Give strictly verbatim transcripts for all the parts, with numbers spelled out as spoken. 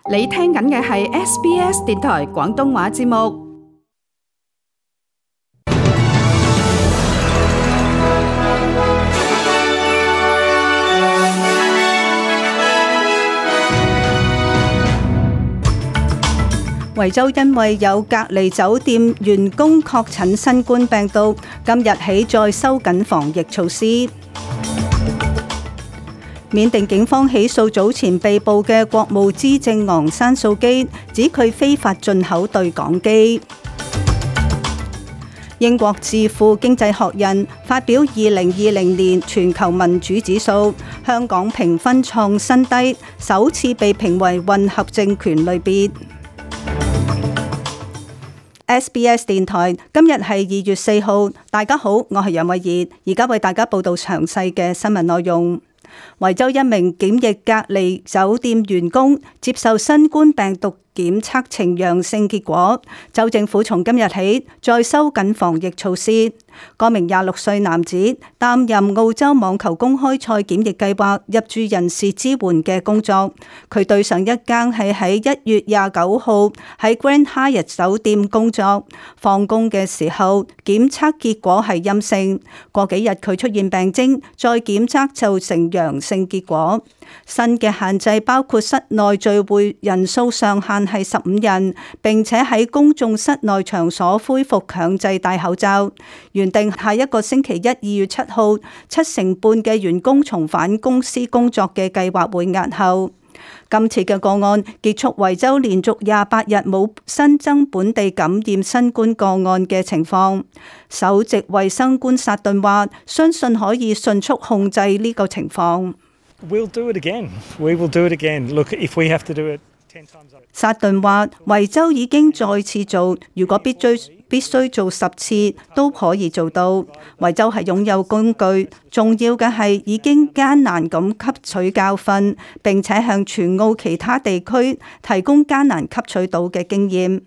你聽緊嘅係 S B S 電台廣東話節目。維州因為有隔離酒店員工確診新冠病毒，今日起再收緊防疫措施。緬甸警方起訴早前被捕嘅國務資政昂山素基，指佢非法進口對講機。英國智庫經濟學人發表二零二零年全球民主指數，香港評分創新低，首次被評為混合政權類別。S B S 電台今日係二月四號，大家好，我係楊慧儀，而家為大家報道詳細嘅新聞內容。維州一名檢疫隔離酒店員工接受新冠病毒檢測呈陽性結果，州政府從今日起再收緊防疫措施。嗰名廿六歲男子擔任澳洲網球公開賽檢疫計劃入住人士支援嘅工作。佢對上一間係喺一月廿九號喺 Grand Hyatt 酒店工作，放工嘅時候檢測結果係陰性。過幾日佢出現病徵，再檢測就成陽性結果。新嘅限制包括室內聚會人數上限係十五人，並且喺公眾室內場所恢復強制戴口罩。原定下一個星期一二月七號，七成半嘅員工重返公司工作嘅計劃會押後。今次嘅個案結束維州連續廿八日冇新增本地感染新冠個案嘅情況。首席衛生官薩頓話，相信可以迅速控制呢個情況。We'll do it again. We will do it again. Look, if we have to do it ten times over. 薩頓話，維州已經再次做，如果必須必須做十次都可以做到。維州係擁有工具，重要嘅係已經艱難咁吸取教訓，並且向全澳其他地區提供艱難吸取到嘅經驗。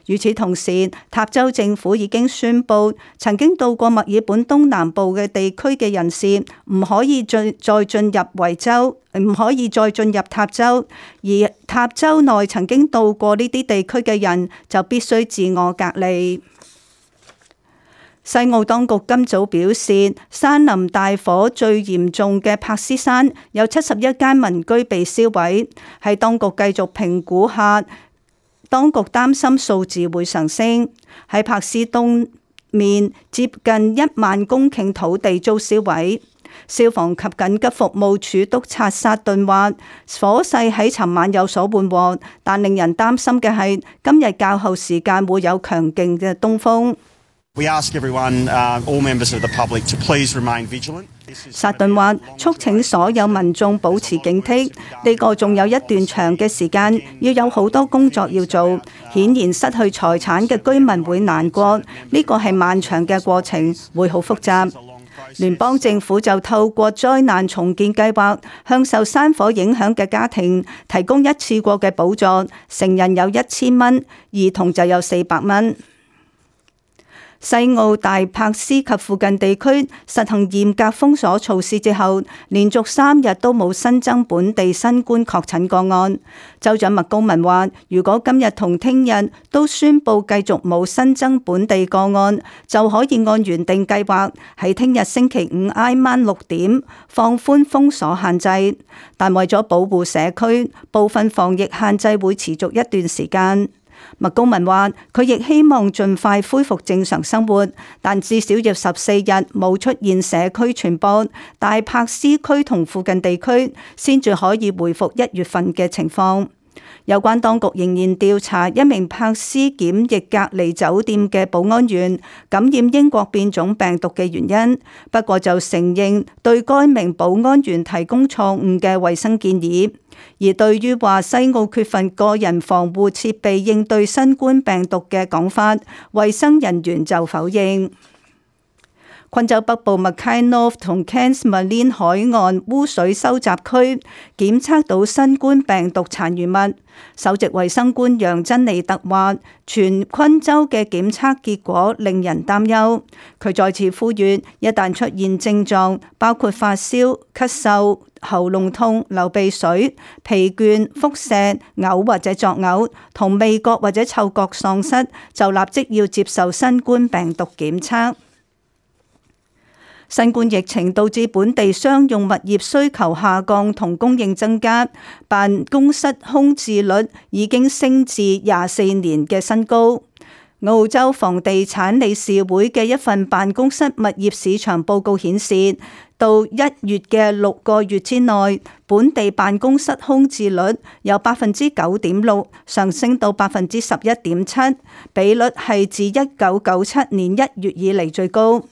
與此同時，塔州政府已經宣布，曾經到過墨爾本東南部嘅地區嘅人士唔可以再再進入維州，唔可以再進入塔州，而塔州內曾經到過呢啲地區嘅人就必須自我隔離。西澳當局今早表示，山林大火最嚴重嘅柏斯山有七十一間民居被燒毀，喺當局繼續評估下，當局擔心數字會上升。喺柏斯東面接近一萬公頃土地遭燒毀。消防及緊急服務處督察薩頓話，火勢喺尋晚有所緩和，但令人擔心嘅係今日較後時間會有強勁嘅東風。We ask everyone, uh, all members of the public, to please remain vigilant. 薩頓話，促請所有民眾保持警惕，呢個仲有一段長嘅時間，要有好多工作要做。顯然失去財產嘅居民會難過，呢個係漫長嘅過程，會好複雜。聯邦政府就透過災難重建計劃，向受山火影響嘅家庭提供一次過嘅補助，成人有一千蚊，兒童就有四百蚊。西澳大柏斯及附近地區實行嚴格封鎖措施之後，連續三日都冇新增本地新冠確診個案。州長麥高文話，如果今日同聽日都宣布繼續冇新增本地個案，就可以按原定計劃喺聽日星期五挨晚六點放寬封鎖限制。但為咗保護社區，部分防疫限制會持續一段時間。麥高文話，佢亦希望盡快恢復正常生活，但至少要十四日冇出現社區傳播，大柏斯區同附近地區先至可以回復一月份嘅情況。有關當局仍然調查一名柏斯檢疫隔離酒店嘅保安員感染英國變種病毒嘅原因，不過就承認對該名保安員提供錯誤嘅衛生建議。而對於話西澳缺乏個人防護設備應對新冠病毒嘅講法，衛生人員就否認。昆州北部 Mackay North 同 Cairns Marine 海岸污水收集區檢測到新冠病毒殘餘物。首席衛生官楊珍妮特話，全昆州嘅檢測結果令人擔憂。佢再次呼籲，一旦出現症狀，包括發燒、咳嗽、喉嚨痛、流鼻水、疲倦、腹瀉、嘔或者作嘔，同味覺或者嗅覺喪失，就立即要接受新冠病毒檢測。新冠疫情導致本地商用物業需求下降同供應增加，辦公室空置率已經升至廿四年嘅新高。澳洲房地產理事會嘅一份辦公室物業市場報告顯示，到一月嘅六個月之內，本地辦公室空置率由百分之九點六上升到百分之十一點七，比率係自一九九七年一月以嚟最高。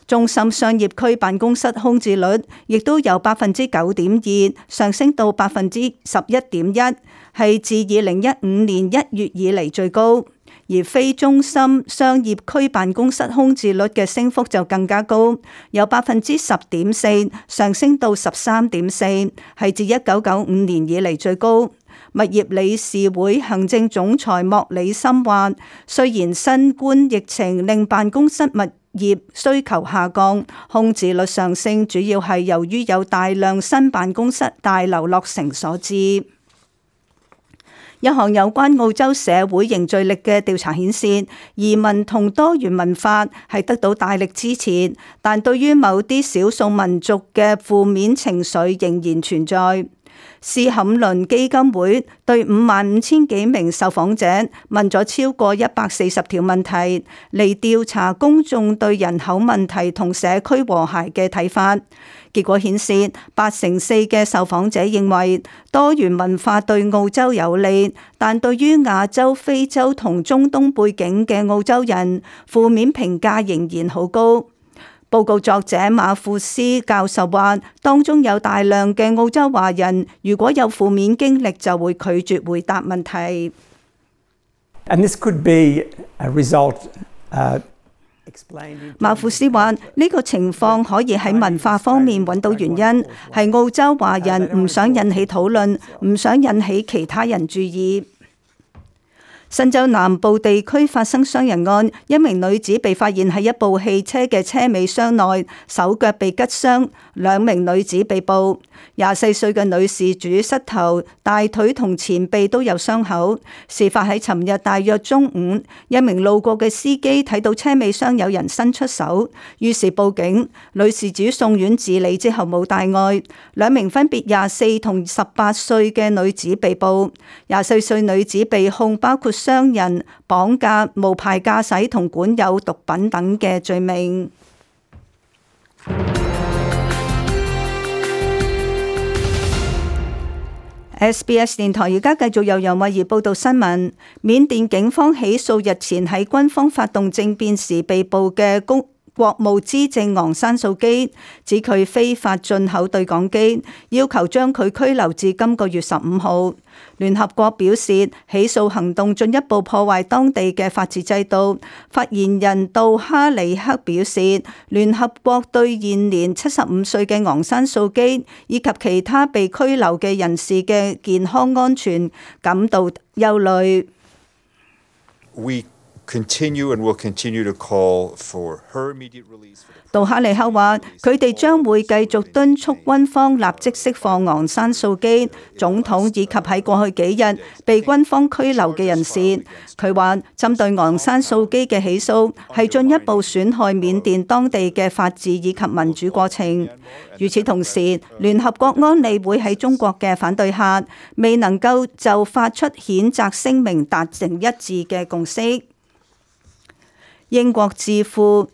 中心商業區辦公室空置率亦都由百分之九點二上升到百分之十一點一，係自二零一五年一月以嚟最高。而非中心商業區辦公室空置率嘅升幅就更加高，由百分之十點四上升到十三點四，係自一九九五年以嚟最高。物業理事會行政總裁莫里森話，雖然新冠疫情令辦公室物業需求下降，空置率上升主要係由於有大量新辦公室大樓落成所致。一項有關澳洲社會凝聚力嘅調查顯示，移民同多元文化係得到大力支持，但對於某啲少數民族嘅負面情緒仍然存在。斯坎倫基金會對五萬五千幾名受訪者問咗超過一百四十條問題，嚟調查公眾對人口問題同社區和諧嘅睇法。結果顯示，八成四嘅受訪者認為多元文化對澳洲有利，但對於亞洲、非洲同中東背景嘅澳洲人，負面評價仍然好高。報告作者馬庫斯教授話，當中有大量嘅澳洲華人，如果有負面經歷，就會拒絕回答問題。And this could be a result, uh, 馬庫斯話：呢個情況可以喺文化方面揾到原因，係澳洲華人唔想引起討論，唔想引起其他人注意。新州南部地區發生傷人案，一名女子被發現喺一部汽車嘅車尾箱內，手腳被拮傷，兩名女子被捕。廿四歲嘅女事主膝頭、大腿同前臂都有傷口。事發喺尋日大約中午，一名路過嘅司機睇到車尾箱有人伸出手，於是報警。女事主送院治理之後冇大礙。兩名分別廿四同十八歲嘅女子被捕。廿四歲女子被控包括傷人、綁架、無牌駕駛同管有毒品等嘅罪名。S B S 電台而家繼續由楊慧儀報道新聞。緬甸警方起訴日前喺軍方發動政變時被捕嘅公國務資政昂山素基，指佢非法進口對講機，要求將佢拘留至今個月十五號。聯合國表示，起訴行動進一步破壞當地嘅法治制度。發言人杜哈里克表示，聯合國對現年七十五歲嘅昂山素基以及其他被拘留嘅人士嘅健康安全感到憂慮。We continue and will continue to call for her immediate release. 杜哈里克話：佢哋將會繼續敦促軍方立即釋放昂山素基總統以及喺過去幾日被軍方拘留嘅人士。佢話：針對昂山素基嘅起訴係進一步損害緬甸當地嘅法治以及民主過程。與此同時，聯合國安理會喺中國嘅反對下，未能夠就發出譴責聲明達成一致嘅共識。英國智庫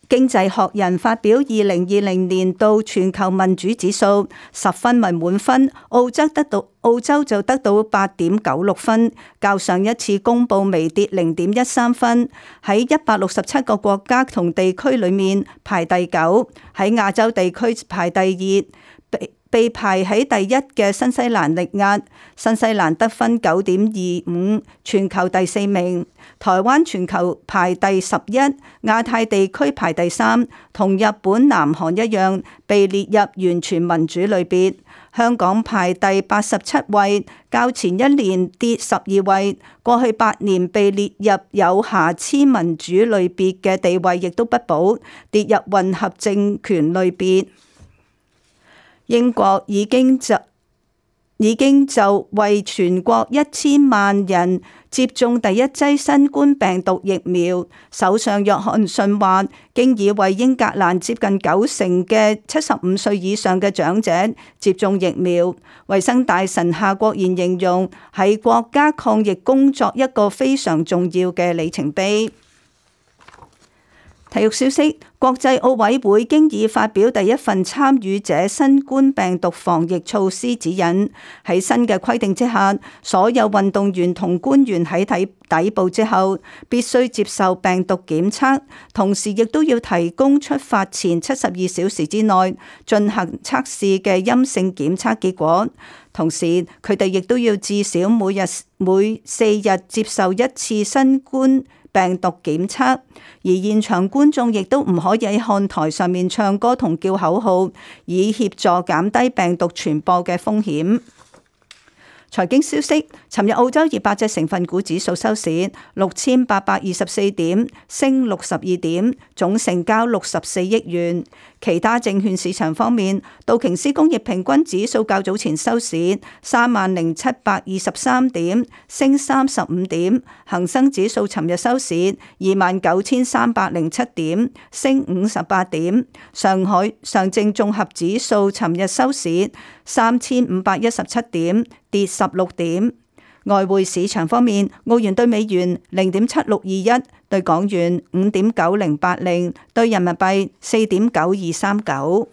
經濟學人發表二零二零年度全球民主指數，十分為滿分，澳洲得到澳洲就得到八點九六分，較上一次公佈微跌零點一三分，喺一百六十七個國家同地區裏面排第九，喺亞洲地區排第二，被排喺第一嘅新西蘭力壓，新西蘭得分九點二五，全球第四名。台灣全球排第十一，亞太地區排第三，同日本、南韓一樣被列入完全民主類別。香港排第八十七位，較前一年跌十二位。過去八年被列入有瑕疵民主類別嘅地位亦都不保，跌入混合政權類別。英國已經就已經就為全國一千萬人接種第一劑新冠病毒疫苗。首相約翰遜話，經已為英格蘭接近九成嘅七十五歲以上嘅長者接種疫苗。衛生大臣夏國賢形容係國家抗疫工作一個非常重要嘅里程碑。體育消息，國際奧委會經已發表第一份參與者新冠病毒防疫措施指引。喺新嘅規定之下，所有運動員同官員喺抵抵埗之後必須接受病毒檢測，同時亦都要提供出發前七十二小時之內進行測試嘅陰性檢測結果。同時，佢哋亦都要至少每日每四日接受一次新冠病毒檢測，而現場觀眾亦都唔可以喺看台上面唱歌同叫口號，以協助減低病毒傳播嘅風險。財經消息，尋日澳洲二百隻成分股指數收市六千八百二十四點，升六十二點，總成交六十四億元。其他證券市場方面，道瓊斯工業平均指數較早前收市三萬零七百二十三點，升三十五點。恒生指數尋日收市二萬九千三百零七點，升五十八點。上海上證綜合指數尋日收市三千五百一十七點，跌十六點。外匯市場方面，澳元對美元零點七六二一，對港元五點九零八零，對人民幣四點九二三九。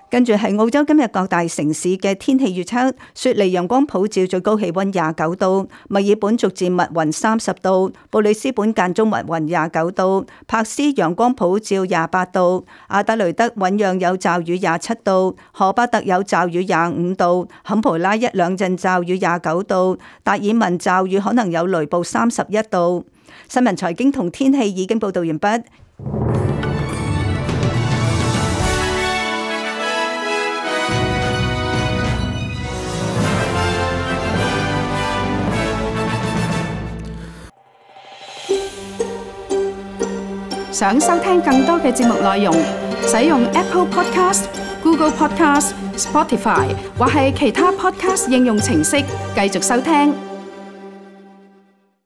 跟住係澳洲今日各大城市嘅天氣預測：雪梨陽光普照，最高氣溫廿九度；墨爾本逐漸密雲三十度；布里斯本間中密雲廿九度；柏斯陽光普照廿八度；阿德雷德醞釀有驟雨廿七度；荷巴特有驟雨廿五度；坎培拉一兩陣驟雨廿九度；達爾文驟雨可能有雷暴三十一度。新聞財經同天氣已經報道完畢。想收聽更多嘅節目內容，使用 Apple Podcast、Google Podcast、Spotify 或係其他 Podcast 應用程式繼續收聽。